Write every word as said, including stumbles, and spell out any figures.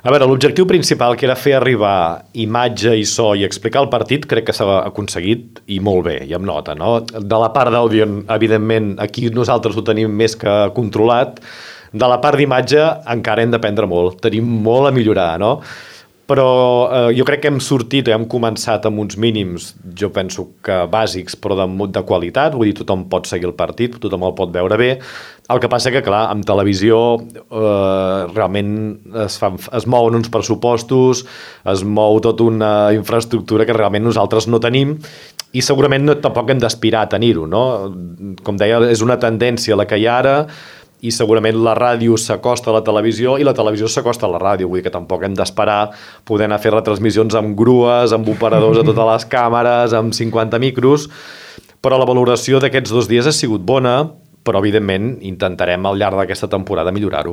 A veure, l'objectiu principal, que era fer arribar imatge i so i explicar el partit, crec que s'ha aconseguit i molt bé, i amb nota, no? De la part d'àudio, evidentment, aquí nosaltres ho tenim més que controlat. De la part d'imatge encara hem d'aprendre molt, tenim molt a millorar, no? Però eh, jo crec que hem sortit, hem començat amb uns mínims, jo penso que bàsics, però de, de qualitat, vull dir, tothom pot seguir el partit, tothom el pot veure bé. El que passa que, clar, amb televisió eh, realment es, fan, es mouen uns pressupostos, es mou tota una infraestructura que realment nosaltres no tenim i segurament no, tampoc hem d'aspirar a tenir-ho, no? Com deia, és una tendència la que hi ha ara, i segurament la ràdio s'acosta a la televisió i la televisió s'acosta a la ràdio, vull dir que tampoc hem d'esperar poder anar a fer retransmissions amb grues, amb operadors a totes les càmeres, amb cinquanta micros, però la valoració d'aquests dos dies ha sigut bona, però evidentment intentarem al llarg d'aquesta temporada millorar-ho.